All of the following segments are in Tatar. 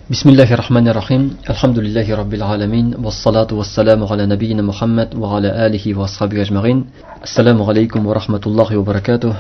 Бисмиллахи рахмани рахим. Әлхәмдүлилләһи раббил аламин. Вассалату вассаламу аля набийина Мухаммад ва аля алихи ва асхабихи ажмаин. Ассаламу алейкум ва рахматуллахи ва баракатух.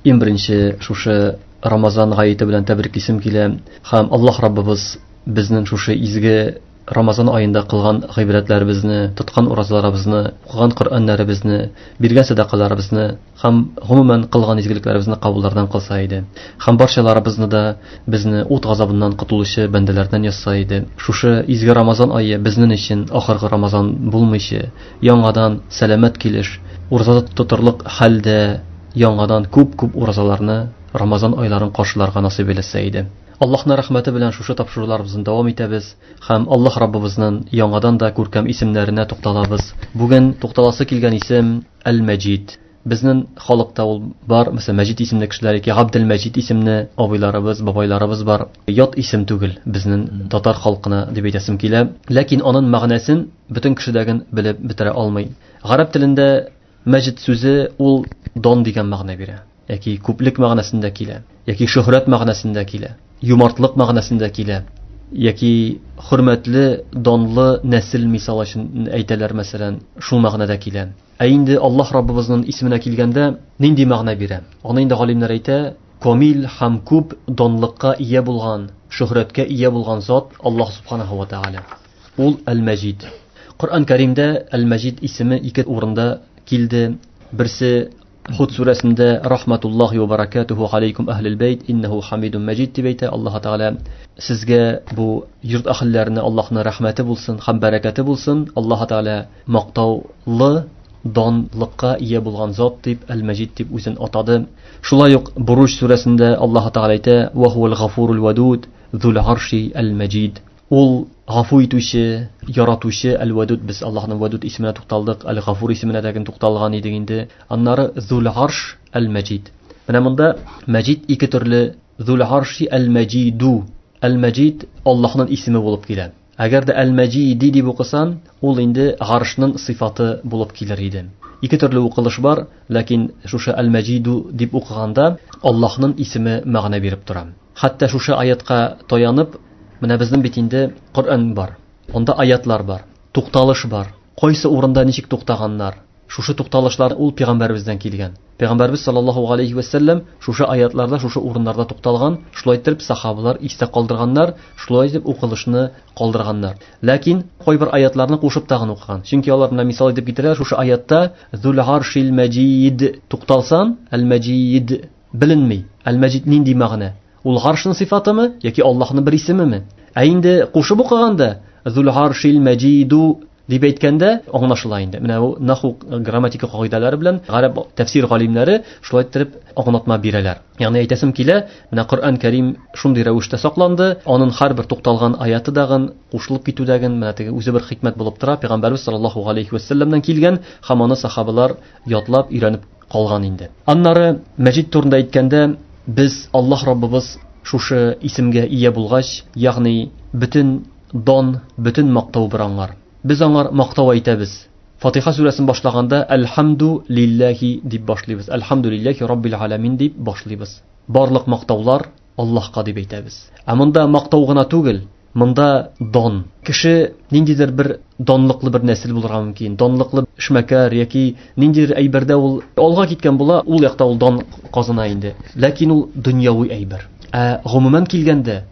Иң беренче шушы Рамазан гаете белән тәбриклисем килә. Һәм Аллаһ Раббыбыз безнең шушы изге Рамазан аенда кылган гыйбадәтләребезне, тоткан уразаларыбызны, укыган Коръәннәребезне, биргән сәдакаларыбызны һәм гомумән кылган изгелекләребезне кабуллардан кылса иде. Һәм барчаларыбызны да безне ут газабыннан котылучы бәндәләрдән язса иде. Шушы изге Рамазан ае безнең өчен ахыргы Рамазан булмыйча, яңадан сәламәт килеш, ураза тотырлык хәлдә яңадан күп-күп уразаларны, Рамазан айларын каршыларга насыйп әйләсә иде. Аллаһның рәхмәте белән шушы тапшыруларыбызны дәвам итәбез һәм Аллаһ Раббыбызның яңадан да күркәм исемнәренә тукталабыз. Бүген тукталасы килгән исем Әл-Мәҗид. Безнең халыкта ул бар, мәсәлән, Мәҗид исемле кешеләр яки Габделмәҗид исемле абыйларыбыз, бабайларыбыз бар. Ят исем түгел безнең татар халкына дип әйтәсем килә. Ләкин аның мәгънәсен бөтен кеше дә белеп бетерә алмый. Гарәп телендә Мәҗид сүзе ул дан дигән мәгънә бирә. Яки күплек мәгънәсендә килә, яки шөһрәт мәгънәсендә килә, юмартлык мәгънәсендә килә, яки хөрмәтле, данлы нәсел мисал өчен әйтәләр, мәсәлән, шул мәгънәдә килә. Ә инде Аллаһ Раббыбызның исеменә килгәндә нинди мәгънә бирә? Аны инде галимнәр әйтә, камил һәм күп данлыкка ия булган, шөһрәткә ия булган зат Аллаһ субханаһу ва тааля. Ул Әл-Мәҗид. Коръән Кәримдә Әл-Мәҗид исеме ике урында килде. Берсе Худ сүрәсендә рахматуллахи ва баракатуху алейкум әһлил бәйт иннәһу хамидун мәҗид дип әйтә Аллаһ Тәгалә. Сезгә бу йорт әһелләренә Аллаһның рәхмәте булсын һәм бәрәкәте булсын. Аллаһ Тәгалә мактаулы данлыкка ия булган зат дип Әл-Мәҗид дип үзен атады. Шулай ук Буруҗ сүрәсендә Аллаһ Тәгалә әйтә: "Ва хуал гафурул вадуд зул арши әл-мәҗид". Ул гафу итүче, яратучы Әл-Вадуд. Без Аллаһның Вадуд исеменә тукталдык, Әл-Гафур исеменә дә тукталган идек инде. Аннары Зул Арш Әл-Мәҗид. Менә монда Мәҗид ике төрле Зул Арши Әл-Мәҗиду. Әл-Мәҗид Аллаһның исеме булып килә. Әгәр дә Әл-Мәҗиди дип укысан, ул инде Аршның сыйфаты булып килер иде. Ике төрле укылыш бар, ләкин шушы Әл-Мәҗиду дип укыганда Аллаһның исеме мәгънә биреп тора. Хәтта шушы аятка таянып, менә безнең бит инде Коръән бар. Анда аятлар бар, тукталыш бар. Кайсы урында ничек туктаганнар? Шушы тукталышлар ул пәйгамбәребездән килгән. Пәйгамбәребез саллаллаһу алейхи ва сәлләм шушы аятларда, шушы урыннарда тукталган, шулай итеп сахабалар истә калдырганнар, шулай итеп укылышны калдырганнар. Ләкин кайбер аятларны кушып тагын укыган. Чөнки алар менә мисал итеп китерәләр, шушы аятта Зул аршил мәҗид тукталсан, әл-мәҗид беленми. Әл-мәҗид нинди мәгънә? Ул аршның сыйфатымы яки Аллаһның бер исемеме? Ә инде кушып укыганда Зул аршил мәҗиду дип әйткәндә аңлашыла инде. Менә бу наху грамматика кагыйдәләре белән гарәп тәфсир галимнәре шулай иттереп аңлатма бирәләр. Ягъни әйтәсем килә, менә Коръән Кәрим шундый рәвештә сакланды, аның һәрбер тукталган аяты дагын, кушылып китүдәген, менә теге үзе бер хикмәт булып тора. Пәйгамбәрбез саллаллаһу алейхи ва сәлләмнән килгән һәм аны сахабалар ятлап өйрәнеп калган инде. Аннары Мәҗид турында әйткәндә, без Аллаһ Раббыбыз шушы исемгә ия булгач, ягъни бөтен дан, бөтен мактау бер аңар. Без аңар мактау әйтәбез. Фатиха сүрәсен башлаганда Әлхәмду лилләһи дип башлыйбыз. Әлхәмду лилләһи раббил аламин дип башлыйбыз. Барлык мактаулар Аллаһка дип әйтәбез. Ә монда мактау гына түгел, монда дан. Кеше ниндидер бер данлыклы бер нәсел булырга мөмкин, данлыклы эшмәкәр яки ниндидер әйбердә ул алга киткән була, ул якта ул дан казана инде. Ләкин ул дөньяви әйбер. Ә гомумән килгәндә,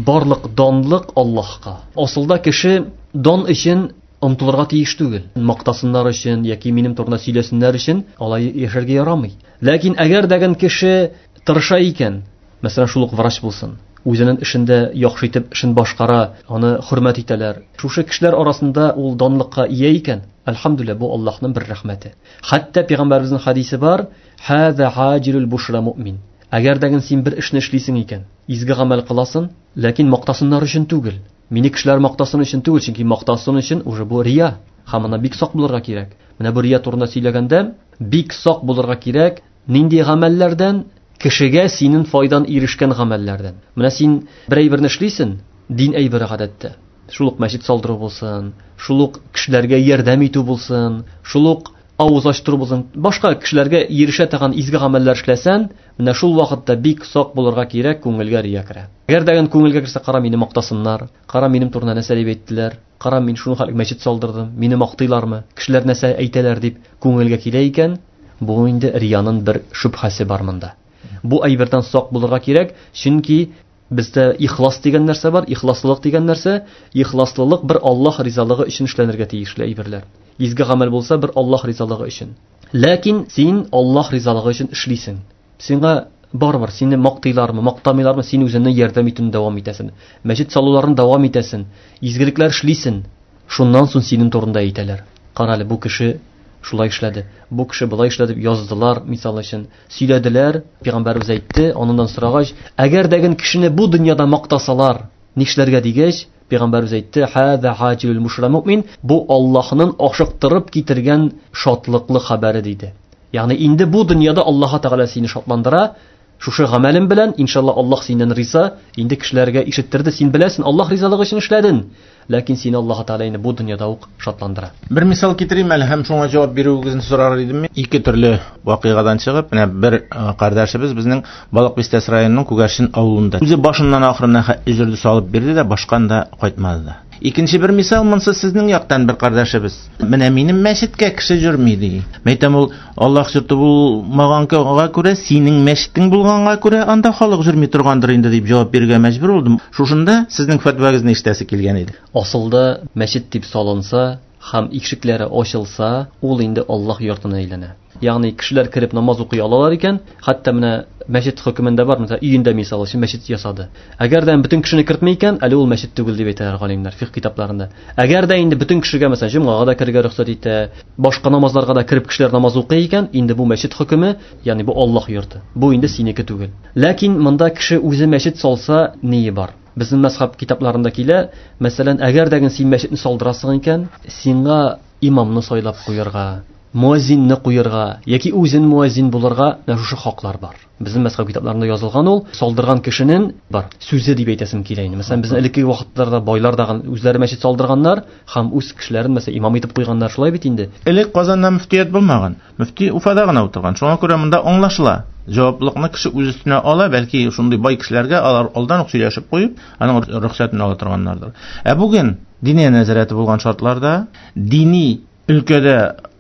барлык данлык Аллаһка. Асылда кеше дан өчен омтылырга тиеш түгел. Мактасыннар өчен яки минем турында сөйләсеннәр өчен алай яшәргә ярамый. Ләкин әгәр дәген кеше тырыша икән, мәсәлән, шул ук врач булсын, үзенең эшендә яхшы итеп эшен башкара, аны хөрмәт итәләр. Шушы кешеләр арасында ул данлыкка ия икән, әлхәмдүлилләһ, бу Аллаһның бер рәхмәте. Хәтта пәйгамбәребезнең хадисе бар, хаза хаҗилул бушра муъмин. Әгәр дәген син бер эшне эшлисең икән, изге гамәл кыласың, ләкин мактасыннар өчен түгел. Мине кешеләр мактасын өчен түгел, чөнки мактасын өчен уже бу рия. Һәм ана бик сак булырга кирәк. Менә бу рия турында сөйләгәндә, бик сак булырга кирәк, нинди гамәлләрдән кешегә синең файдан ирешкән гамәлләрдән. Менә син бер әйберне эшлисең, дин әйбере гадәттә. Шул ук мәчет салдыру булсын, шул ук кешеләргә ярдәм итү булсын, шул ук авыз ачтыру булсын, башка кешеләргә ирешә торган изге гамәлләр эшләсән, менә шул вакытта бик сак булырга кирәк, күңелгә рия керә. Әгәр дә күңелгә керсә, кара мине мактасыннар, кара минем турында нәрсә дип әйттеләр, кара мин шуны хәтле мәчет салдырдым, мине мактыйлармы, кешеләр нәрсә әйтәләр дип күңелгә килә икән, бу инде риянын бер шөбһәсе бар монда. Бу әйбердән сак булырга кирәк, чөнки бездә ихлас дигән нәрсә бар, ихласлылык дигән нәрсә, ихласлылык бер Аллаһ ризалыгы өчен эшләнергә тиешле әйберләр. Изге гамәл булса бер Аллаһ ризалыгы өчен. Ләкин син Аллаһ ризалыгы өчен эшлисең. Сиңа барыбер сине мактыйлармы, мактамыйлармы, син үзеңне ярдәм итүне дәвам итәсең. Мәчет салуларын дәвам итәсең, изгелекләр эшлисең. Шуннан соң синең турында әйтәләр. Кара әле, бу кеше шулай эшләде, бу кеше болай эшләде дип яздылар, мисал өчен, сөйләделәр, пәйгамбәребез әйтте, аныннан сорагач, әгәр дә кешене бу дөньяда мактасалар, нишләргә дигәч, пәйгамбәребез әйтте, хәзә хаҗилул мушра муъмин, бу Аллаһның ашыктырып китергән шатлыклы хәбәре диде. Ягъни инде бу дөньяда Аллаһ Тәгалә сине шатландыра, шушы гамәлем белән, иншалла Аллаһ синнән риза, инде кешеләргә ишеттерде, син беләсең, Аллаһ ризалыгы өчен эшләдең. Ләкин сине Аллаһ Тәгалә инде бу дөньяда ук шатландыра. Бер мисал китерим әле һәм шуңа җавап бирүегезне сорар идем. Ике төрле вакыйгадан чыгып, менә бер кардәшебез безнең Балык Бистәсе районының Күгәрчен авылында. Үзе башыннан ахырына хәтле җирде салып бирде дә, башкан да кайтмады да. Икенче бер мисал, монсы сезнең яктан бер кардәшебез. Менә минем мәчеткә кеше йөрми ди. Мәйтәм ул Аллаһ йорты булмаганга күрә, синең мәчетең булганга күрә анда халык йөрми торгандыр инде дип җавап бирергә мәҗбүр булдым. Шушында сезнең фәтвагызны ишетәсе килгән иде. Асылда мәчет дип салынса һәм ишекләре ачылса, ул инде Аллаһ йортына әйләнә. Ягъни кешеләр кереп намаз укый алалар икән, хәтта менә мәчет хөкемендә бар, мәсәлән, өендә мисал өчен мәчет ясады. Әгәр дә бөтен кешене кертми икән, әле ул мәчет түгел дип әйтәләр галимнәр фикх китапларында. Әгәр дә инде бөтен кешегә, мәсәлән, җомгага да керергә рөхсәт итә, башка намазларга да кереп кешеләр намаз укый икән, инде бу мәчет хөкеме, ягъни бу Аллаһ йорты. Бу инде синеке түгел. Ләкин монда кеше үзе мәчет салса, ние бар? Безнең мәзһәб китапларында килә, мәсәлән, әгәр дә син мәчетне салдырасың икән, сиңа имамны сайлап куярга, муаззинны куярга яки үзен муаззин булырга менә шушы хаклар бар. Безнең мәзһәб китапларында язылган ул, салдырган кешенең бар сүзе дип әйтәсем килә инде. Мәсәлән, безнең элеккеге вакытларда байлар да үзләре мәчет салдырганнар һәм үз кешеләрен мәсәлән имам итеп куйганнар, шулай бит инде. Элек Казанда мөфтият булмаган. Мөфти Уфада гына утырган. Шуңа күрә монда аңлашыла. Җаваплылыкны кеше үз өстенә ала, бәлки шундый бай кешеләргә алар алдан ук сөйләшеп куеп, аның рөхсәтен ала торганнардыр. Ә бүген диния нәзарәте булган шартларда, дини өлкәдә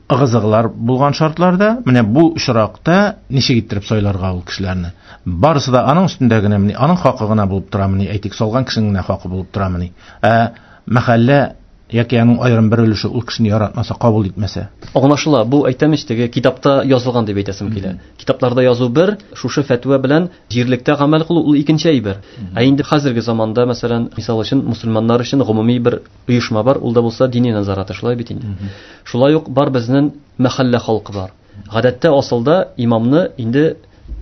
ыгы-зыгылар булган шартларда, менә бу очракта ничек иттереп сайларга ул кешеләрне? Барысы да аның өстендә генә, аның хакы гына булып торамыни, әйтик, салган кешенең генә хакы булып торамыни? Ә мәхәллә яки аның аерым бер өлеше ул кешене яратмаса, кабул итмәсә. Аңлашыла, бу әйтәм ич, теге китапта язылган дип әйтәсем килә. Китапларда язу бер, шушы фәтва белән җирлектә гамәл кылу ул икенче әйбер. Ә инде хәзерге заманда, мәсәлән, мисал өчен, мусульманнар өчен гомуми бер оешма бар, ул да булса дини назараты, шулай бит инде. Шулай ук бар безнең мәхәллә халкы бар. Гадәттә асылда имамны инде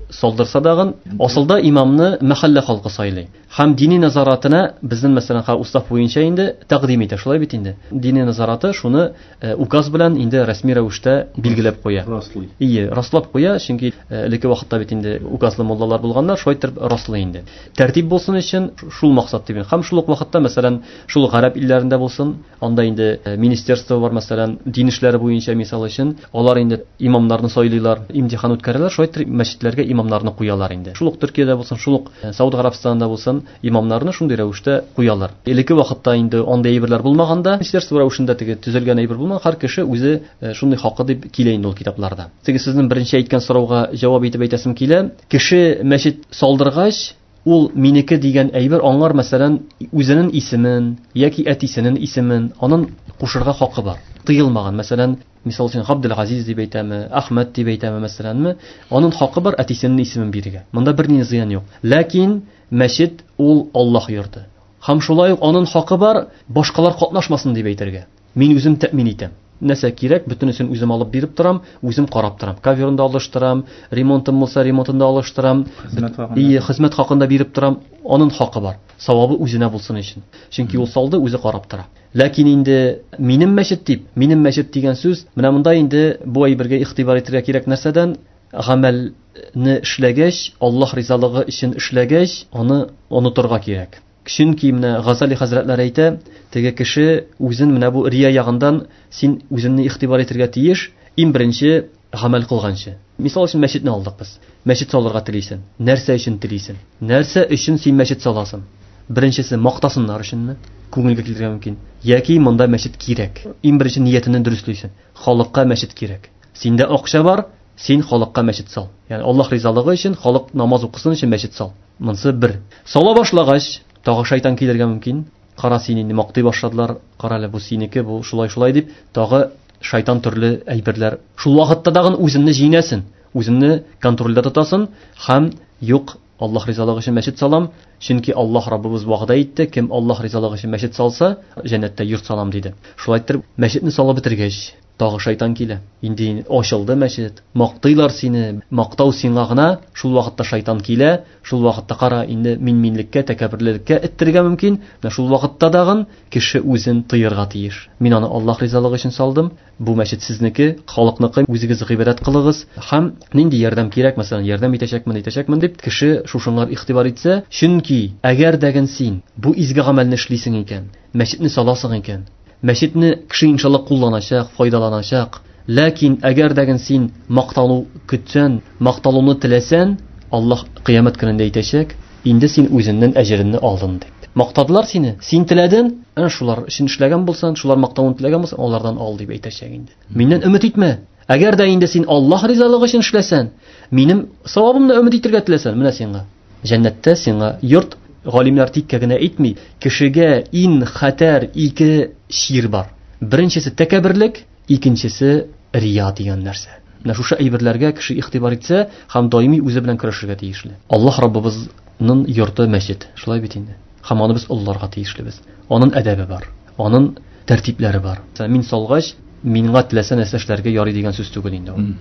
салдырса дагын, асылда имамны мәхәллә халкы сайлый. Һәм дини назаратына безнең, мәсәлән, устав буенча инде тәкъдим итә, шулай бит инде. Дини назараты шуны указ белән инде рәсми рәвештә билгеләп куя. Раслый. Ие, раслап куя, чөнки элекке вакытта бит инде указлы муллалар булганнар, шулай итеп раслый инде. Тәртип булсын өчен шул максат дип. Һәм шул ук вакытта, мәсәлән, шул гарәп илләрендә булсын, анда инде министерство бар, мәсәлән, дин эшләре буенча мисал өчен, алар инде имамнарны сайлыйлар, имтихан үткәрәләр, шулай итеп мәчетләргә имамнарны куялар инде. Шул ук Төркиядә булсын, шул ук Сауд Гарәбстанында булсын, имамнарны шундый рәвештә куялар. Элекке вакытта инде андый әйберләр булмаганда, министерство рәвешендә теге төзелгән әйбер булмаган, һәр кеше үзе шундый хакы дип килә инде ул китапларда. Теге сезнең беренче әйткән сорауга җавап итеп әйтәсем килә. Кеше мәчет салдыргач, ул минеке дигән әйбер аңар, мәсәлән, үзенең исемен яки әтисенең исемен анын кушырга хакы бар. Тыелмаган, мәсәлән, мисал өчен Габделгазиз дип әйтәме, Әхмәт дип әйтәме, мәсәләнме, анын хакы бар әтисенең исемен бирергә. Монда берни зыян юк. Ләкин мәчет ул Аллаһ йорты. Һәм шулай ук анын хакы бар башкалар катнашмасын дип әйтергә. Мин үзем тәэмин итәм. Нәрсә кирәк, бөтенесен үзем алып биреп торам, үзем карап торам. Каверын да алыштырам, ремонтым булса, ремонтын да алыштырам. Хезмәт хакын. Ие, хезмәт хакын да биреп торам. Анын хакы бар. Савабы үзенә булсын өчен. Чөнки ул салды, үзе карап тора. Ләкин инде минем мәчет дип, минем мәчет дигән сүз, менә монда инде бу әйбергә игътибар итәргә кирәк нәрсәдән? Гамәлне эшләгәч, Аллаһ ризалыгы өчен эшләгәч, аны онытырга кирәк. Чөнки менә Газали хәзрәтләре әйтә, теге кеше үзен менә бу рия ягындан син үзеңне игътибар итәргә тиеш, Иң беренче гамәл кылганчы. Мисал өчен мәчетне алдык без. Мәчет салырга телисең. Нәрсә өчен телисең? Нәрсә өчен син мәчет саласың? Беренчесе мактасыннар өченме? Күңелгә килергә мөмкин. Яки монда мәчет кирәк. Иң беренче ниятеңне дөреслисең. Халыкка мәчет кирәк. Синдә акча бар, син халыкка мәчет сал. Ягъни Аллаһ ризалыгы өчен, халык намаз укысын өчен мәчет сал. Монсы бер. Сала башлагач, тагы шайтан килергә мөмкин. Кара, сине инде мактый башладылар, кара әле бу синеке, бу шулай-шулай дип, тагы шайтан төрле әйберләр. Шул вакытта тагын үзеңне җиңәсең, үзеңне контрольдә тотасың һәм юк, Аллаһ ризалыгы өчен мәчет салам, чөнки Аллаһ Раббыбыз вәгъдә итте, кем Аллаһ ризалыгы өчен мәчет салса, җәннәттә йорт салам диде. Шулай итеп, мәчетне салып бетергәч, тагы шайтан килә. Инде ачылды мәчет, мактыйлар сине, мактау сиңа гына, шул вакытта шайтан килә, шул вакытта кара, инде мин-минлеккә, тәкәбберлеккә эттерергә мөмкин. Менә шул вакытта тагын кеше үзен тыярга тиеш. Мин аны Аллаһ ризалыгы өчен салдым, бу мәчет сезнеке, халыкныкы, үзегез гыйбадәт кылыгыз һәм нинди ярдәм кирәк, мәсәлән, ярдәм итәчәкмен, итәчәкмен дип кеше шушыңар игътибар итсә, чөнки әгәр дәген син бу изге гамәлне эшлисең икән, мәчетне саласың икән, мәчетне кеше иншалла кулланачак, файдаланачак. Ләкин әгәр дәген син макталу көтсән, макталуны теләсән, Аллаһ кыямәт көнендә әйтәчәк, инде син үзеннән әҗереңне алдың дип. Мактадылар сине, син теләдең, әнә шулар өчен эшләгән булсаң, шулар мактавын теләгән булсаң, алардан ал дип әйтәчәк инде. Миннән өмет итмә. Әгәр дә инде син Аллаһ ризалыгы өчен эшләсән, минем савабымны өмет итәргә теләсән, менә сиңа җәннәттә сиңа йорт. Галимнәр тиккә генә әйтми, кешегә иң хәтәр ике чир бар. Беренчесе тәкәбберлек, икенчесе рия дигән нәрсә. Менә шушы әйберләргә кеше игътибар итсә һәм даими үзе белән көрәшергә тиешле. Аллаһ Раббыбызның йорты мәчет, шулай бит инде. Һәм аны без олыларга тиешлебез. Аның әдәбе бар, аның тәртипләре бар. Мәсәлән, мин салгач, мингә теләсә нәрсә эшләргә ярый дигән сүз түгел инде ул.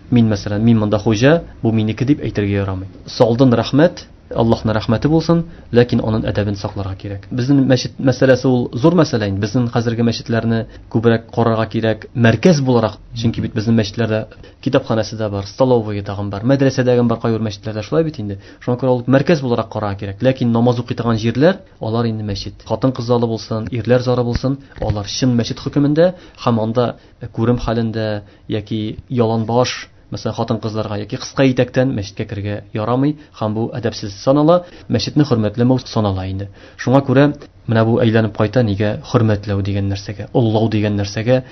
Мин, мәсәлән, мин монда хуҗа, бу минеке дип әйтергә ярамый. Салдын рәхмәт, Аллаһның рәхмәте булсын, ләкин аның әдәбен сакларга кирәк. Безнең мәчет мәсьәләсе ул зур мәсьәлә инде. Безнең хәзерге мәчетләрне күбрәк карарга кирәк мәркәз буларак. Чөнки бит безнең мәчетләрдә китапханәсе дә бар, столовые тагын бар, мәдрәсә дә бар кайбер мәчетләрдә, шулай бит инде. Шуңа күрә ул мәркәз буларак карарга кирәк. Ләкин намаз укый торган җирләр, алар инде мәчет. Хатын-кыз залы булсын, ирләр залы булсын, алар чын мәчет хөкемендә һәм анда күрем хәлендә яки яланбаш, мәсәлән, хатын-кызларга яки кыска итәктән мәчеткә керергә ярамый һәм бу әдәпсез санала, мәчетне хөрмәтләмәү санала инде. Шуңа күрә менә бу әйләнеп кайта нигә хөрмәтләү дигән нәрсәгә, оллау дигән нәрсәгә.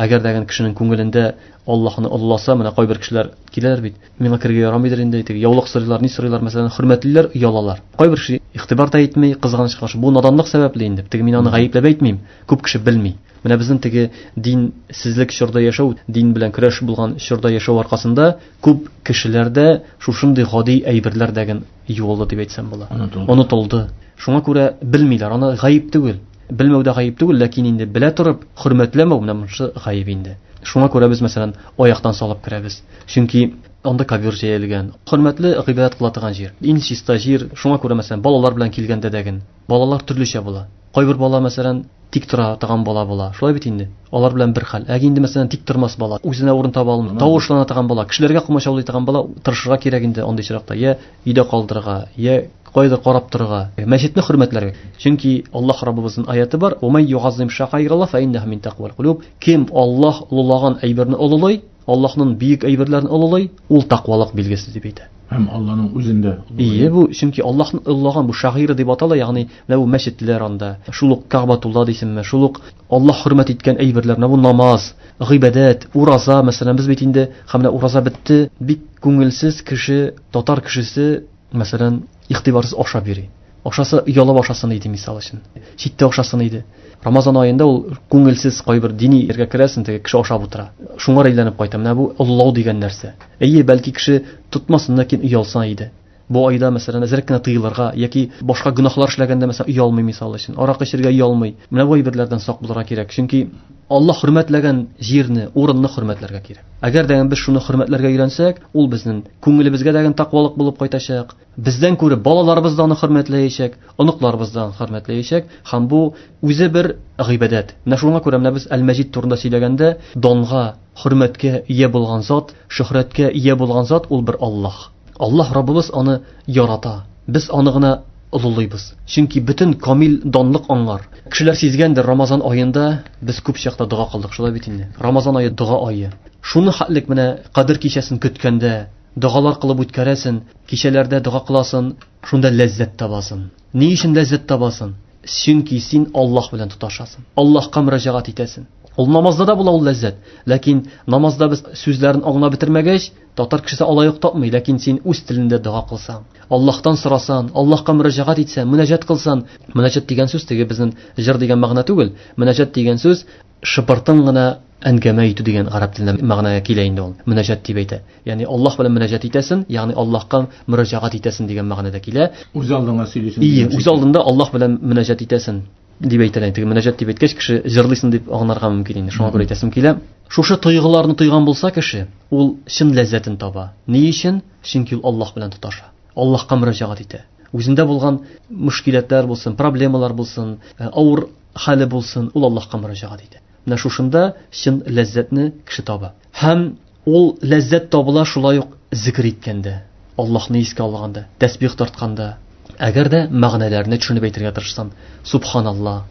Әгәр дә кешенең күңелендә Аллаһны олласа, менә кайбер кешеләр киләләр бит, миңа керергә ярамыйдыр инде, теге яулык сорыйлар, ни сорыйлар, мәсәлән, хөрмәтлиләр, оялалар. Кайбер кеше игътибар да итми, кызганычка каршы, бу наданлык сәбәпле инде. Теге мин аны гаепләп әйтмим, күп кеше белми. Менә безнең теге динсезлек чорда яшәү, дин белән көрәш булган чорда яшәү аркасында күп кешеләрдә шушындый гади әйберләр дәген юылды дип әйтсәм була. Онытылды. Шуңа күрә белмиләр, аны гаеп түгел. Белмәү дә гаеп түгел, ләкин инде белә торып хөрмәтләмәү менә монысы гаеп инде. Шуңа күрә без, мәсәлән, аяктан салып керәбез. Чөнки анда ковер җәелгән, хөрмәтле гыйбадәт кыла торган җир, иң чиста җир. Шуңа күрә, мәсәлән, балалар белән килгәндә дәген, балалар төрлечә була. Кайбер бала, мәсәлән, тик тора торган бала була. Шулай бит инде. Алар белән бер хәл. Әгәр инде, мәсәлән, тик тормас бала, үзенә урын таба алмый, тавышлана торган бала, кешеләргә комачаулый торган бала, тырышырга кирәк инде андый очракта. Я өйдә калдырырга, я кайда карап торырга, мәчетне хөрмәтләргә. Чөнки Аллаһ Раббыбызның аяты бар: "Ва ман югаззим ша'аираллаһ фа иннаһу мин тақвал кулуб". Кем Аллаһ олылаган әйберне олылый, Аллаһның бөек әйберләрен олылый, ул тақвалык билгесе дип әйтә. Һәм Аллаһның үзендә. Ие, бу чөнки Аллаһның олылаган бу шагыйрь дип атала, ягъни менә бу мәчетләр анда, шул ук Кәгъбәтулла дисеңме, шул ук Аллаһ хөрмәт иткән әйберләр, менә бу намаз, гыйбадәт, ураза, мәсәлән, без бит инде һәм менә ураза бетте, бик күңелсез кеше, татар кешесе, мәсәлән, игътибарсыз ашап йөри. Ашаса, оялып ашасын иде, мисал өчен. Читтә ашасын иде. Рамазан аенда ул күңелсез кайбер дини ергә керәсең, теге кеше ашап утыра. Шуңа әйләнеп кайта. Менә бу олылау дигән нәрсә. Әйе, бәлки кеше тотмасын, ләкин оялса иде. Бу айда, мәсәлән, әзрәк кенә тыелырга яки башка гөнаһлар эшләгәндә, мәсәлән, оялмый, мисал өчен. Аракы эчәргә оялмый. Менә бу әйберләрдән сак булырга кирәк. Чөнки Аллаһ хөрмәтләгән җирне, урынны хөрмәтләргә кирәк. Әгәр дә без шуны хөрмәтләргә өйрәнсәк, ул безнең күңелебезгә дә тәкъвалык булып кайтачак. Бездән күреп балаларыбыз да аны хөрмәтләячәк, оныкларыбыз да аны хөрмәтләячәк һәм бу үзе бер гыйбадәт. Менә шуңа күрә менә без Әл-Мәҗид турында сөйләгәндә, данга, хөрмәткә ия булган зат, шөһрәткә ия булган зат ул бер Аллаһ. Аллаһ Раббыбыз аны ярата. Без аны гына олылыйбыз. Чөнки бөтен камил данлык аңлар. Кешеләр сизгәндер, Рамазан аенда без күп чакта дога кылдык, шулай бит инде. Рамазан ае дога ае. Шуны хәтлек менә Кадер кичәсен көткәндә, догалар кылып үткәрәсен, кичәләрдә дога кыласың, шунда ләззәт табасың. Ни өчен ләззәт табасың? Чөнки син Аллаһ белән тоташасың. Аллаһка мөрәҗәгать итәсең. Ул намазда да була ул ләззәт. Ләкин намазда без сүзләрен аңлап бетермәгәч, татар кешесе алай ук тапмый, ләкин син үз телендә дога кылсаң, Аллаһтан сорасаң, Аллаһка мөрәҗәгать итсәң, мөнәҗәт кылсаң, мөнәҗәт дигән сүз теге безнең җыр дигән мәгънә түгел. Мөнәҗәт дигән сүз шыпыртын гына әңгәмә итү дигән гарәп телендә мәгънәгә килә инде ул. Мөнәҗәт дип әйтә. Ягъни Аллаһ белән мөнәҗәт итәсең, ягъни Аллаһка мөрәҗәгать итәсең дигән мәгънәдә килә. Үз алдыңа сөйлисең. Ие, үз алдында Аллаһ белән мөнәҗәт итәсең дип әйтәләр. Теге мөнәҗәт дип әйткәч, кеше җырлыйсың дип аңларга мөмкин инде. Шуңа күрә әйтәсем килә. Шушы тойгыларны тойган булса кеше, ул чын ләззәтен таба. Ни өчен? Чөнки ул Аллаһ белән тоташа. Аллаһка мөрәҗәгать итә. Үзендә булган мөшкиләтләр булсын, проблемалар булсын, авыр хәле булсын, ул Аллаһка мөрәҗәгать итә. Менә шушында чын ләззәтне кеше таба. Һәм ул ләззәт табыла шулай ук зикр иткәндә, Аллаһны искә алганда, тәсбих тартканда. Әгәр дә мәгънәләрне төшенеп әйтергә тырышсаң, субханаллаһ,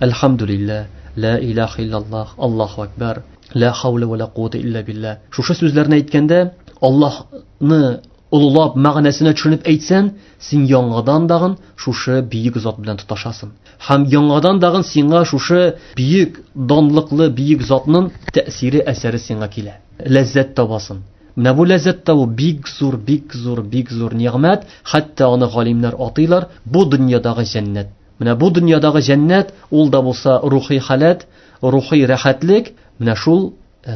әлхәмдүлилләһ, ла илаһа иллаллаһ, Аллаһу акбар, ла хаула ва ла куввата илля биллаһ. Шушы сүзләрне әйткәндә, Аллаһны олылап мәгънәсенә төшенеп әйтсәң, син яңадан дагын шушы бөек зат белән тоташасың. Һәм яңадан дагын сиңа шушы бөек, данлыклы бөек затның тәэсире, әсәре сиңа килә. Ләззәт табасың. Менә бу ләззәт табу бик зур, бик зур, бик зур нигъмәт, хәтта аны галимнәр атыйлар, бу дөньядагы җәннәт. Менә бу дөньядагы җәннәт, ул да булса рухи халәт, рухи рәхәтлек, менә шул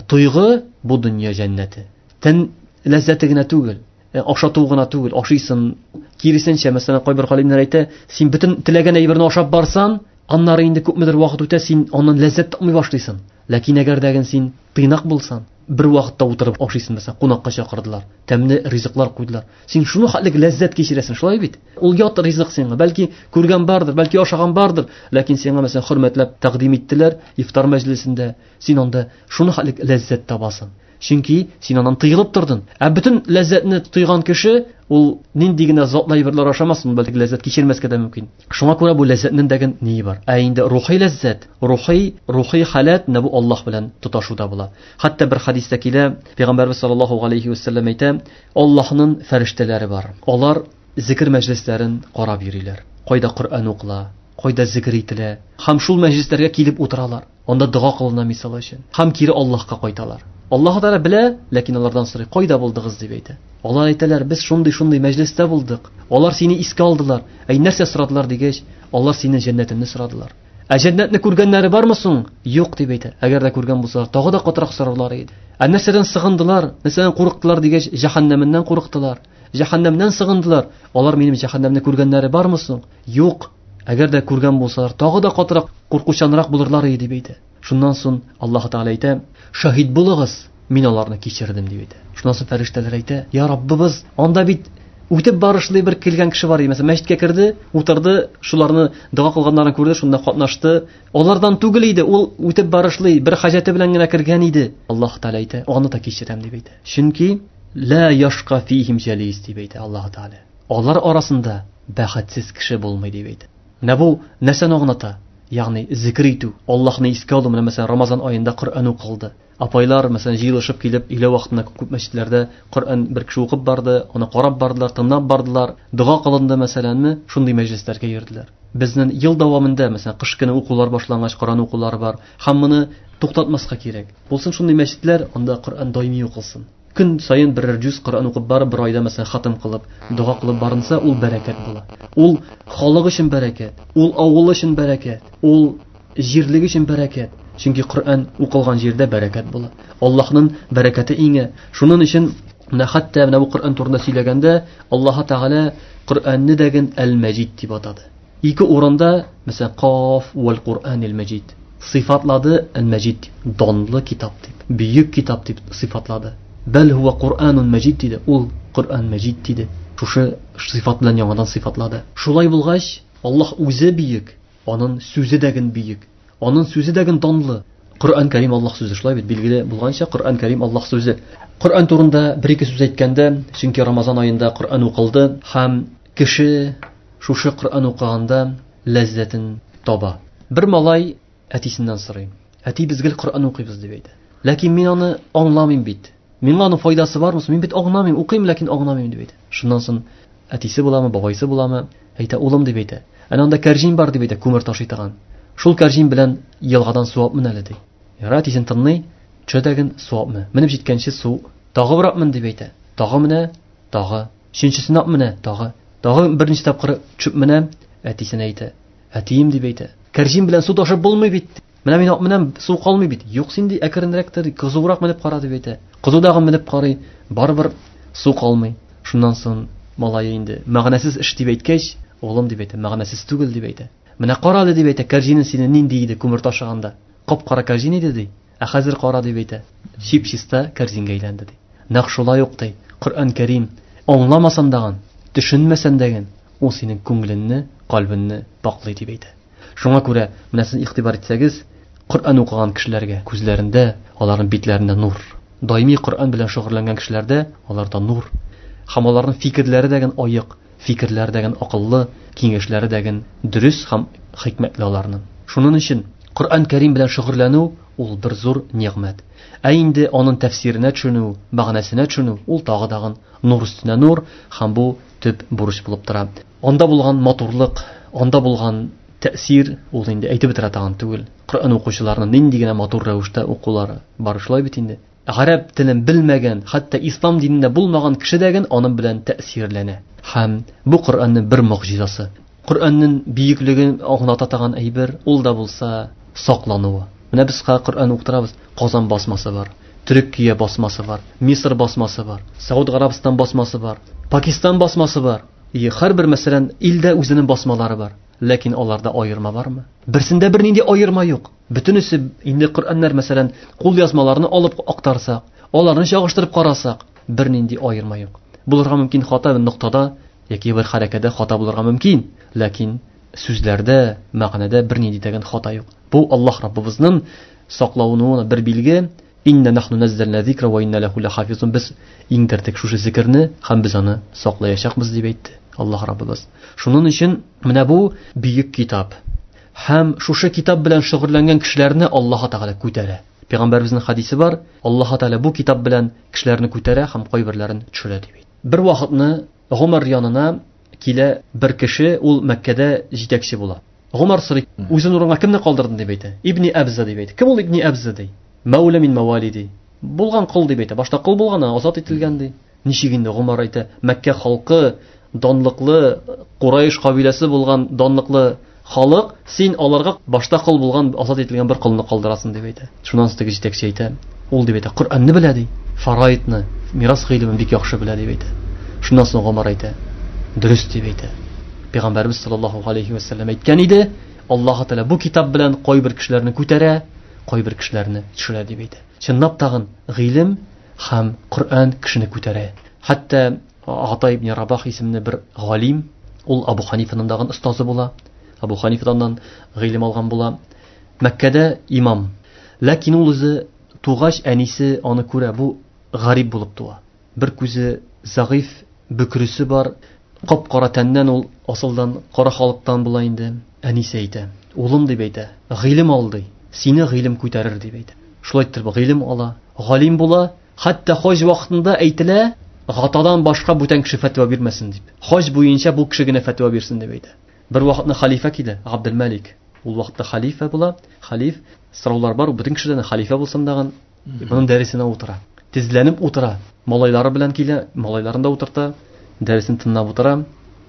тойгы бу дөнья җәннәте. Тән ләззәте генә түгел, ашату гына түгел, ашыйсың. Киресенчә, мәсәлән, кайбер галимнәр әйтә, син бөтен теләгән әйберне ашап барсаң, аннары инде күпмедер вакыт үтә, син аннан ләззәт тапмый башлыйсың. Ләкин әгәр дә син тыйнак булсаң, бер вакытта утырып ашыйсың, мәсәлән, кунакка чакырдылар, тәмле ризыклар куйдылар. Син шуны хәтлек ләззәт кичерәсең, шулай бит? Ул ят ризык сиңа, бәлки күргән бардыр, бәлки ашаган бардыр, ләкин сиңа мәсәлән хөрмәтләп тәкъдим иттеләр ифтар мәҗлесендә, син анда шуны хәтлек ләззәт табасың. Чөнки син аннан тыелып тордың. Ә бөтен ләззәтне тойган кеше, ул нинди генә затлы әйберләр ашамасын, бәлки ләззәт кичермәскә дә мөмкин. Шуңа күрә бу ләззәтнең дә ние бар. Ә инде рухи ләззәт, рухи халәт менә бу Аллаһ белән тоташуда була. Хәтта бер хәдистә килә, Пәйгамбәрбез саллаллаһу алейхи ва саллям әйтә, Аллаһның фәрештәләре бар. Алар зикр мәҗлесләрен карап йөриләр. Кайда Коръән укыла, кайда зикр ителә. Һәм шул мәҗлесләргә килеп утыралар. Анда дога кылына мисал өчен. Һәм кире Аллаһка кайталар. Аллаһ Тәгалә белә, ләкин алардан сорый, кайда булдыгыз дип әйтә. Алар әйтәләр, без шундый-шундый мәҗлестә булдык. Алар сине искә алдылар. Әй, нәрсә сорадылар дигәч, алар синең җәннәтеңне сорадылар. Ә җәннәтне күргәннәре бармы соң? Юк дип әйтә. Әгәр дә күргән булсалар, тагы да катырак сорарлар иде. Ә нәрсәдән сыгындылар, нәрсәдән курыктылар дигәч, җәһәннәменнән курыктылар. Җәһәннәмнән сыгындылар. Алар минем җәһәннәмне күргәннәре бармы соң? Юк. Әгәр дә күргән булсалар, тагы да катырак, куркучанрак булырлар иде дип әйтә. Шуннан соң Аллаһ Тәгалә әйтә, шаһид булыгыз, мин аларны кичердем дип әйтә. Шуннан соң фәрештәләр әйтә, я Раббыбыз, анда бит үтеп барышлый бер килгән кеше бар иде. Мәсәлән, мәчеткә керде, утырды, шуларны дога кылганнарын күрде, шунда катнашты. Алардан түгел иде, ул үтеп барышлый бер хаҗәте белән генә кергән иде. Аллаһ Тәгалә әйтә, аны да кичерәм дип әйтә. Чөнки ла яшка фихим җалис дип әйтә Аллаһ Тәгалә. Алар арасында бәхетсез кеше булмый дип әйтә. Менә бу нәрсәне аңлата? Ягъни зикр итү, Аллаһны искә алу. Менә мәсәлән, Рамазан аенда Коръән укылды. Апайлар, мәсәлән, җыелышып килеп, өйлә вакытында күп мәчетләрдә Коръән бер кеше укып барды, аны карап бардылар, тыңлап бардылар, дога кылынды, мәсәләнме, шундый мәҗлесләргә йөрделәр. Безнең ел дәвамында, мәсәлән, кыш көне укулар башлангач, Коръән укулары бар. Һәм моны туктатмаска кирәк. Булсын шундый мәчетләр, анда Коръән даими укылсын. Көн саен берәр җүз Коръән укып барып, бер айда мәсәлән хатым кылып, дога кылып барынса, ул бәрәкәт була. Ул халык өчен бәрәкәт, ул авыл өчен бәрәкәт, ул җирлек өчен бәрәкәт. Чөнки Коръән укылган җирдә бәрәкәт була. Аллаһның бәрәкәте иңә. Шуның өчен менә хәтта менә бу Коръән турында сөйләгәндә, Аллаһ Тәгалә Коръәнне дәген Әл-Мәҗид дип атады. Ике урында, мәсәлән, Каф вәл Коръәнил Мәҗид сыйфатлады Әл-Мәҗид дип, данлы китап дип, бөек китап дип сыйфатлады. Бәл һуа Коръәнун Мәҗид диде, ул Коръән Мәҗид диде. Шушы сыйфат белән яңадан сыйфатлады. Шулай булгач, Аллаһ үзе бөек, аның сүзе дә бөек, аның сүзе дә данлы. Коръән Кәрим Аллаһ сүзе, шулай бит, билгеле булганча, Коръән Кәрим Аллаһ сүзе. Коръән турында бер-ике сүз әйткәндә, чөнки Рамазан аенда Коръән укылды һәм кеше шушы Коръән укыганда ләззәтен таба. Бер малай әтисеннән сорый. Әти, без гел Коръән укыйбыз дип әйтә. Ләкин мин аны аңламыйм бит. Миңа аның файдасы бармы? Мин бит аңламыйм, укыйм, ләкин аңламыйм дип әйтә. Шуннан соң әтисе буламы, бабайсы буламы, әйтә, улым дип әйтә. Әнә анда кәрҗин бар дип әйтә, күмер ташый торган. Шул кәрҗин белән елгадан су алып мен әле ди. Ярар, әтисен тыңлый, төшә дәген су алып менә. Менеп җиткәнче су тагы бер алып мен дип әйтә. Тагы менә, тагы. Өченчесен алып менә, тагы. Тагы берничә тапкыр төшеп менә, әтисенә әйтә. Әтием дип әйтә. Кәрҗин белән су ташып булмый бит. Менә мин алып менәм, су калмый бит. Юк, син ди, әкренрәктер, кызурак менеп кара дип әйтә. Кызудагы менеп карый, барыбер су калмый. Шуннан соң малае инде мәгънәсез эш дип әйткәч, улым дип әйтә, мәгънәсез түгел дип әйтә. Менә кара әле дип әйтә, кәрҗинең сине нинди иде күмер ташыганда? Кап-кара кәрҗин иде ди. Ә хәзер кара дип әйтә. Чип-чиста кәрҗингә әйләнде ди. Нәкъ шулай ук ди. Коръән Кәрим аңламасаң дагын, төшенмәсәң дәген, ул синең күңелеңне, кальбеңне паклый дип әйтә. Шуңа күрә менә сез игътибар итсәгез, Коръән укыган кешеләргә күзләрендә, аларның битләрендә нур. Даими Коръән белән шөгыльләнгән кешеләрдә аларда нур. Һәм аларның фикерләре дәген аек, фикерләре дәген акыллы, киңәшләре дәген дөрес һәм хикмәтле аларның. Шуның өчен Коръән Кәрим белән шөгыльләнү ул бер зур нигъмәт. Ә инде аның тәфсиренә төшенү, мәгънәсенә төшенү ул тагы дагын нур өстенә нур һәм бу төп бурыч булып тора. Анда булган матурлык, анда булган тәэсир ул инде әйтеп бетерә торган түгел. Коръән укучыларның нинди генә матур рәвештә укулары бар шулай бит инде. Гарәп телен белмәгән, хәтта ислам динендә булмаган кеше дә ген аның белән тәэсирләнә. Һәм бу Коръәннең бер могҗизасы. Коръәннең бөеклеген аңлата торган әйбер ул да булса саклануы. Менә без Коръән укытырабыз, Казан басмасы бар, Төркия басмасы бар, Мисыр басмасы бар, Сауд Гарәбстан басмасы бар, Пакистан басмасы бар. И һәрбер, мәсәлән, илдә үзенең басмалары бар. Ләкин аларда аерма бармы? Берсендә бернинди аерма юк. Бөтенесе инде Коръәннәр, мәсәлән, кул язмаларны алып актарсак, аларны чагыштырып карасак, бернинди аерма юк. Булырга мөмкин хата бер ноктада яки бер хәрәкәттә хата булырга мөмкин, ләкин сүзләрдә, мәгънәдә бернинди дигән хата юк. Бу Аллаһ Раббыбызның саклавына бер билге. Инна нахну наззална зикра ва инна лаху лахафизун. Без иңдердек шушы зикерне һәм без аны саклаячакбыз дип әйтте Аллаһ Раббыбыз. Шуның өчен менә бу бөек китап. Һәм шушы китап белән шөгыльләнгән кешеләрне Аллаһ Тәгалә күтәрә. Пәйгамбәребезнең хадисе бар, Аллаһ Тәгалә бу китап белән кешеләрне күтәрә һәм кайберләрен төшерә дип әйтте. Бер вакытны Гомар янына килә бер кеше, ул Мәккәдә җитәкче була. Гомар сорый, үзен урынга кемне калдырдың дип әйтә. Ибни Әбза дип әйтә. Кем ул Ибни Әбза ди? Мәүлә мин мәвали ди. Булган кол дип әйтә. Башта кол булган, азат ителгән ди. Ничек инде Гомар әйтә, Мәккә халкы данлыклы, Курайш кабиләсе булган данлыклы халык, син аларга башта кол булган, азат ителгән бер колны калдырасың дип әйтә. Шуннан соң теге җитәкче әйтә, ул дип әйтә, Коръәнне белә ди, фараидны, мирас гыйлемен бик яхшы белә дип әйтә. Шуннан соң Гомар әйтә, дөрес дип әйтә. Пәйгамбәрбез саллаллаһу алейхи ва сәлләм әйткән иде, Аллаһ Тәгалә бу китап белән кайбер кешеләрне күтәрә, кайбер кешеләрне төшерә дип әйтә. Чынлап тагын гыйлем һәм Коръән кешене күтәрә. Хәтта Ата ибн Рабах исемле бер галим, ул Абу Ханифаның дагын остазы була. Абу Ханифадан гыйлем алган була. Мәккәдә имам. Ләкин ул үзе тугач әнисе аны күрә, бу гарип булып туа. Бер күзе зәгыйф, бөкресе бар, кап-кара тәннән ул асылдан кара халыктан була инде. Әнисе әйтә, улым дип әйтә, гыйлем ал ди, сине гыйлем күтәрер дип әйтә. Шулай итеп гыйлем ала, галим була. Хәтта хаҗ вакытында әйтелә, Гатадан башка бүтән кеше фәтва бирмәсен дип. Хаҗ буенча бу кеше генә фәтва бирсен дип әйтә. Бер вакытны халифә килә, Габделмалик. Ул вакытта халифә була. Халиф сораулар бар, бөтен кешедән халифә булсын дагын. Моның дәресенә утыра. Тезләнеп утыра. Малайлары белән килә, малайларын да утырта. Дәресен тыңлап утыра.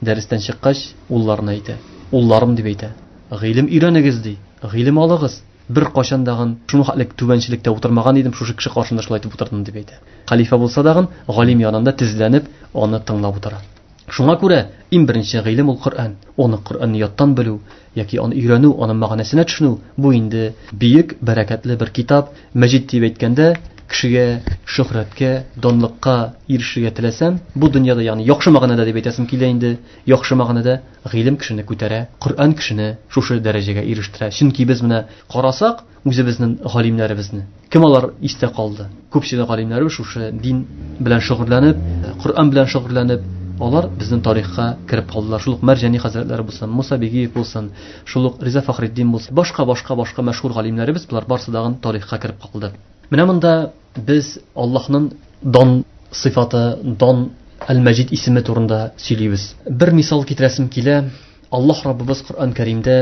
Дәрестән чыккач, улларына әйтә. Улларым дип әйтә. Гыйлем өйрәнегез ди. Гыйлем алыгыз. Бер кашан дагын шуны хәтлек түбәнчелектә утырмаган идем, шушы кеше каршында шулай итеп утырдым дип әйтә. Халифә булса дагын, галим янында тезләнеп, аны тыңлап утыра. Шуңа күрә иң беренче гыйлем ул Коръән. Аны Коръәнне яттан белү яки аны өйрәнү, аның мәгънәсенә төшенү, бу инде бөек, бәрәкәтле бер китап. Мәҗид дип әйткәндә, кешегә шөһрәткә, данлыкка ирешергә теләсәң, бу дөньяда, ягъни яхшы мәгънәдә дип әйтәсем килә инде, яхшы мәгънәдә гыйлем кешене күтәрә, Коръән кешене шушы дәрәҗәгә ирештерә. Чөнки без менә карасак, үзебезнең галимнәребезне, кем алар истә калды? Күпчелек галимнәребез шушы дин белән шөгыльләнеп, Коръән белән шөгыльләнеп, алар безнең тарихка кереп калдылар. Шул ук Мәрҗани хәзрәтләре булсын, Муса Бигиев булсын, шул ук Риза Фахретдин булсын, башка-башка-башка мәшһүр галимнәребез, болар барсы дагын тарихка кереп калды. Менә монда без Аллаһның дан сыйфаты, дан Әл-Мәҗид исеме турында сөйлибез. Бер мисал китерәсем килә. Аллаһ Раббыбыз Коръән Кәримдә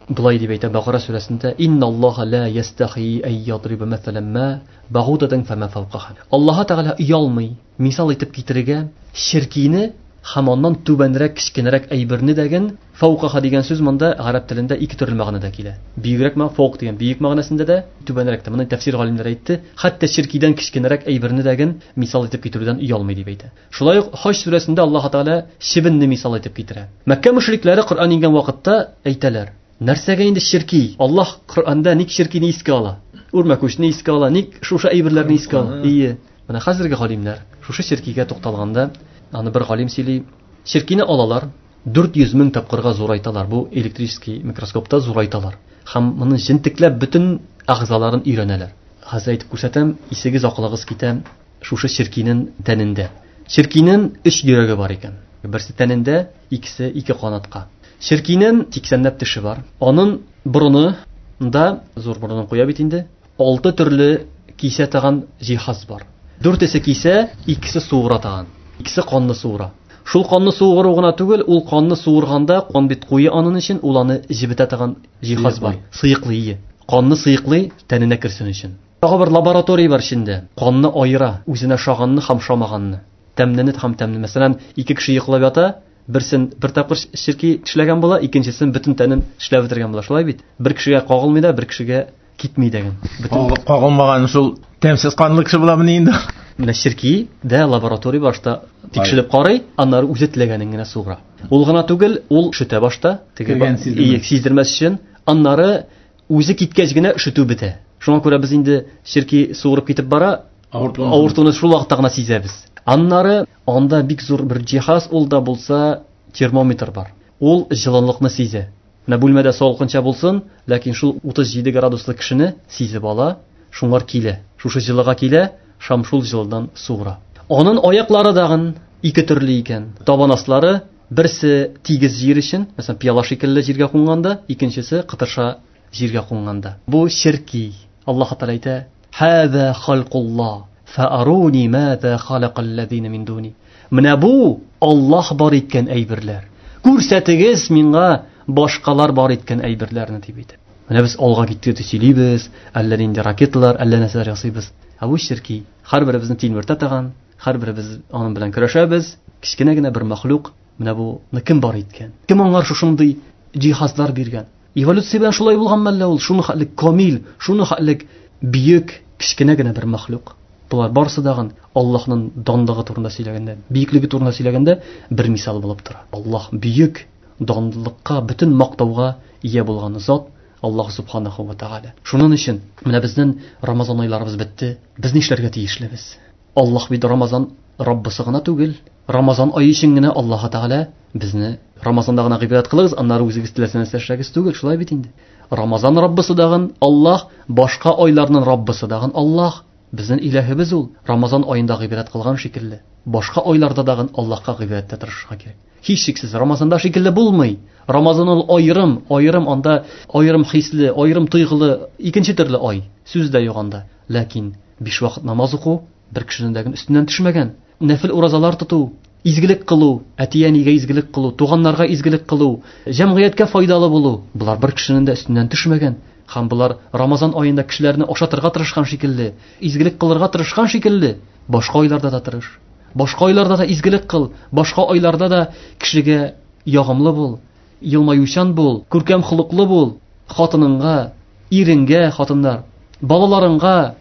былай дип әйтә Бакара сүрәсендә: "Инналлаһа ла ястахи ай ядриба мәсәлән ма багудатан фама фавкаха". Аллаһ Тәгалә оялмый мисал итеп китерергә ширкине һәм аннан түбәнрәк, кечкенәрәк әйберне дәген. Фавкаха дигән сүз монда гарәп телендә ике төрле мәгънәдә килә. Бөегрәк мәгънә, фаук дигән бөек мәгънәсендә дә, түбәнрәк тә. Моны тәфсир галимнәре әйтте. Хәтта ширкидән кечкенәрәк әйберне дәген мисал итеп китерүдән оялмый дип әйтә. Шулай ук Хаҗ сүрәсендә Аллаһ Тәгалә чебенне мисал итеп китерә. Мәккә мөшрикләре Коръән иңгән вакытта әйтәләр: "Нәрсәгә инде ширки? Аллаһ Коръәндә ник ширкине искә ала? Үрмәкүчне искә ала, ник шушы әйберләрне искә ала?" Ие. Менә хәзерге галимнәр шушы ширкигә тукталганда, аны бер галим сөйли, ширкине алалар, 400 мең тапкырга зурайталар. Бу электрический микроскопта зурайталар. Һәм моны җентекләп бөтен әгъзаларын өйрәнәләр. Хәзер әйтеп күрсәтәм, исегез акылыгыз китә шушы ширкинең тәнендә. Ширкинең 3 йөрәге бар икән. Берсе тәнендә, икесе ике канатка. Ширкинең 80ләп теше бар. Аның борыны да, зур борынын куя бит инде, 6 төрле кисә таган җиһаз бар. 4-се кисә, 2-се суыра таган. 2-се канны суыра. Шул канны суыру гына түгел, ул канны суырганда кан бит куе анын өчен, ул аны җебетә торган җиһаз бар. Сыеклый. Канны сыеклый, тәненә керсен өчен. Тагы бер лаборатория бар эчендә. Канны аера, үзенә шаганны һәм шамаганны. Тәмлене һәм тәмле. Мәсәлән, ике кеше йоклап ята, берсен бер тапкыр ширки тешләгән була, икенчесен бөтен тәнен тешләп бетергән була. Шулай бит? Бер кешегә кагылмый да, бер кешегә китми дигән. Бөтен кагылмаган шул тәмсез канлы кеше буламыни инде? Менә ширки дә лаборатория башта тикшереп карый, аннары үзе теләгәнен генә суыра. Ул гына түгел, ул шөтә башта, теге сиздермәс өчен, аннары үзе киткәч генә шөтү бетә. Шуңа күрә без инде ширки суырып китеп бара, авыртуны шул вакытта гына сизәбез. Аннары анда бик зур бер җиһаз, ул да булса термометр бар. Ул җылылыкны сизә. Менә бүлмәдә салкынча булсын, ләкин шул 37 градуслы кешене сизеп ала, шуңар килә. Шушы җылыга килә, шам шул җылыдан суыра. Аның аяклары дагын ике төрле икән. Табан аслары берсе тигез җир өчен, мәсәлән, пиала шикелле җиргә кунганда, икенчесе кытырша җиргә кунганда. Бу ширки. Аллаһ Тәгалә әйтә: "Хаза халкуллаһ, фааруни маза халакаллазина мин дуни". Менә бу Аллаһ бар иткән әйберләр. Күрсәтегез миңа башкалар бар иткән әйберләрне дип әйтә. Менә без алга киттек дип сөйлибез, әллә нинди ракеталар, әллә нәрсәләр ясыйбыз. Ә бу ширки. Һәрберебезне тилмертә торган, һәрберебез аның белән көрәшәбез. Кечкенә генә бер мәхлук, менә буны кем бар иткән? Кем аңар шушындый җиһазлар биргән? Эволюция белән шулай булган мәллә ул? Шуны хәтлек камил, шуны хәтлек бөек, кечкенә генә бер мәхлук. Булар барысы дагын Аллаһның данлыгы турында сөйләгәндә, бөеклеге турында сөйләгәндә бер мисал булып тора. Аллаһ бөек, данлыкка, бөтен мактауга ия булган зат Аллаһ субханаху ва тааля. Шуның өчен менә безнең Рамазан айларыбыз бетте. Без нишләргә тиешлебез? Аллаһ бит Рамазан Раббысы гына түгел. Рамазан ае өчен генә Аллаһ Тәгалә безне Рамазанда гына гыйбадәт кылыгыз, аннары үзегез теләсә нәрсә эшләгез түгел, шулай бит инде. Рамазан Раббысы дагын Аллаһ, башка айларның Раббысы дагын Аллаһ. Безнең илаһыбыз ул. Рамазан аенда гыйбадәт кылган шикелле, башка айларда дагын Аллаһка гыйбадәттә тырышырга кирәк. Һичшиксез Рамазанда шикелле булмый. Рамазан ул аерым, аерым анда аерым хисле, аерым тойгылы, икенче төрле ай. Сүз дә юк анда. Ләкин биш вакыт намаз уку бер кешенең дә өстеннән төшмәгән. Нәфил уразалар тоту, изгелек кылу, әти-әнигә изгелек кылу, туганнарга изгелек кылу, җәмгыятькә файдалы булу, болар бер кешенең дә өстеннән төшмәгән. Һәм болар Рамазан аенда кешеләрне ашатырга тырышкан шикелле, изгелек кылырга тырышкан шикелле, башка айларда да тырыш. Башка айларда да изгелек кыл, башка айларда да кешегә ягымлы бул, елмаючан бул, күркәм холыклы бул, хатыныңга, иреңгә, хатыннар, балаларыңга,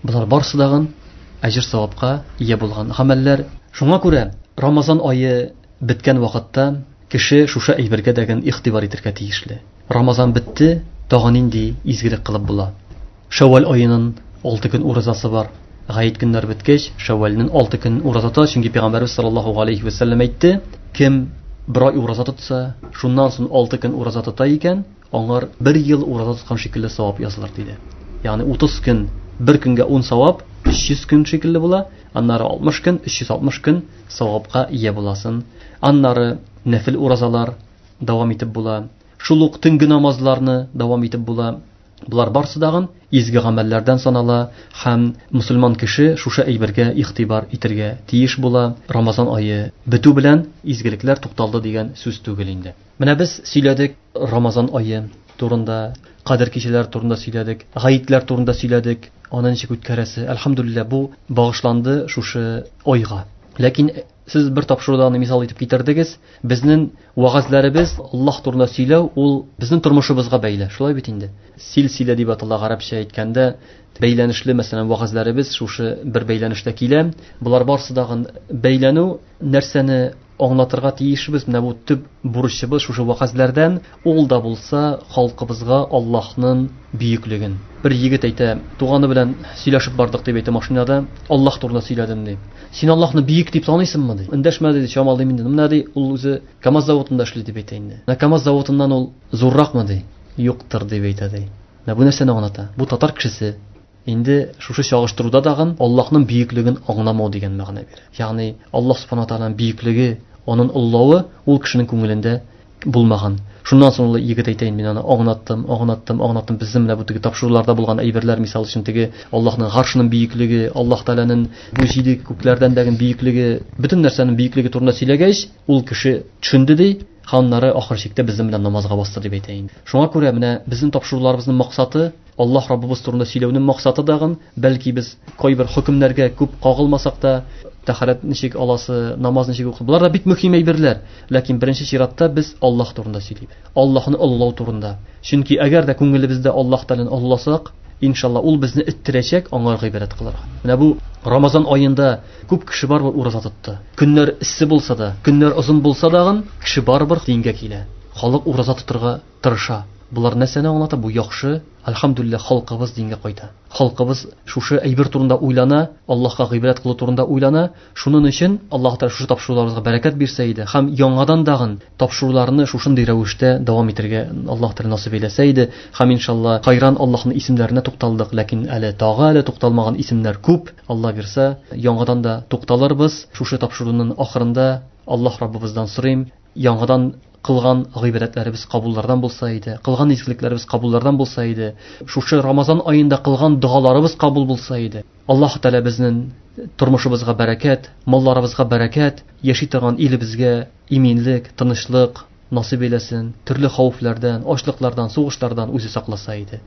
болар барысы дагын әҗер савапка ия булган гамәлләр. Шуңа күрә Рамазан ае беткән вакытта кеше шушы әйбергә дәген игътибар итәргә тиешле. Рамазан бетте, тагы нинди изгелек кылып була? Шәүвәл аеның 6 көн уразасы бар. Гает көннәр беткәч, Шәүвәлнең 6 көн ураза тота, чөнки Пәйгамбәрбез саллаллаһу алейхи ва сәлләм әйтте, кем бер ай ураза тотса, шуннан соң 6 көн ураза тота икән, аңар бер ел ураза тоткан шикелле савап язылыр диде. Ягъни 30 көн, бер көнгә 10 савап, 300 көн шикелле була, аннары 60 көн, 360 көн савапка ия буласын. Аннары нәфил уразалар дәвам итеп була. Шул ук төнге намазларны дәвам итеп була. Булар барсы дагын изге гамәлләрдән санала һәм мусульман кеше шушы әйбергә игътибар итергә тиеш була. Рамазан ае бетү белән изгелекләр тукталды дигән сүз түгел инде. Менә без сөйләдек Рамазан ае турында, кадер кичәләре турында сөйләдек, гаетләр турында сөйләдек, аны ничек үткәрәсе. Әлхәмдүлилләһ, бу багышланды шушы айга. Ләкин сез бер тапшыруда аны мисал итеп китердегез. Безнең вәгазьләребез Аллаһ турында сөйләү ул безнең тормышыбызга бәйле. Шулай бит инде. Силсилә дип атала гарәпчә әйткәндә, бәйләнешле, мәсәлән, вәгазьләребез шушы бер бәйләнештә килә. Болар барсы дагын бәйләнү нәрсәне аңлатырга тиешбез. Менә бу төп бурычыбыз шушы вәгазьләрдән, ул да булса халкыбызга Аллаһның бөеклеген. Бер егет әйтә, туганы белән сөйләшеп бардык дип әйтә машинада, Аллаһ турында сөйләдем ди. Син Аллаһны бөек дип таныйсыңмы ди. Эндәшмәде ди, чамалыйм инде. Менә ди, ул үзе КАМАЗ заводында эшли дип әйтә инде. Менә КАМАЗ заводыннан ул зурракмы ди? Юктыр дип әйтә ди. Менә бу нәрсәне аңлата? Бу татар кешесе инде шушы чагыштыруда дагын Аллаһның бөеклеген аңламау дигән мәгънә бирә. Ягъни Аллаһ субхана тааляның бөеклеге, аның оллавы ул кешенең күңелендә булмаган. Шуннан соң ул егет әйтә, мин аны аңлаттым, аңлаттым, аңлаттым. Безнең менә бу теге тапшыруларда булган әйберләр, мисал өчен теге Аллаһның гаршының бөеклеге, Аллаһ Тааляның бу җиде күкләрдән дәген бөеклеге, бөтен нәрсәнең бөеклеге турында сөйләгәч, ул кеше төшенде ди, ханнары ахыр чиктә безнең белән намазга басты дип әйтә инде. Шуңа күрә менә безнең тапшыруларыбызның максаты Аллаһ Раббыбыз турында сөйләүнең максаты дагын, бәлки без кайбер хөкемнәргә күп кагылмасак та, тәһарәт ничек аласы, намаз ничек укы, болар да бик мөһим әйберләр. Ләкин беренче чиратта без Аллаһ турында сөйлибез. Аллаһны олылау турында. Чөнки әгәр дә күңелебездә Аллаһ Тәгаләне олыласак, иншалла ул безне эттерәчәк аңа гыйбадәт кылырга. Менә бу Рамазан аенда күп кеше барыбер ураза тотты. Көннәр эссе булса да, көннәр озын булса дагын, кеше барыбер дингә килә. Халык ураза тотырга тырыша. Булар нәрсәне аңлата? Бу яхшы. Әлхәмдүлилләһ, халкыбыз дингә кайта. Халкыбыз шушы әйбер турында уйлана, Аллаһка гыйбадәт кылу турында уйлана. Шуның өчен Аллаһ Тәгалә шушы тапшыруларыбызга бәрәкәт бирсә иде һәм яңадан дагын тапшыруларны шушындый рәвештә дәвам итәргә Аллаһ Тәгалә насыйп әйләсә иде. Һәм иншалла хайран Аллаһның исемнәренә тукталдык, ләкин әле тагы әле тукталмаган исемнәр күп. Алла бирсә, яңадан да тукталырбыз. Шушы тапшыруның ахырында Аллаһ Раббыбыздан сорыйм, яңадан кылган гыйбадәтләребез кабуллардан булса иде, кылган изгелекләребез кабуллардан булса иде, шушы Рамазан аенда кылган догаларыбыз кабул булса иде. Аллаһ Тәгалә безнең тормышыбызга бәрәкәт, малларыбызга бәрәкәт, яши торган илебезгә иминлек, тынычлык насыйп әйләсен, төрле хәвефләрдән, ачлыклардан, сугышлардан үзе сакласа иде.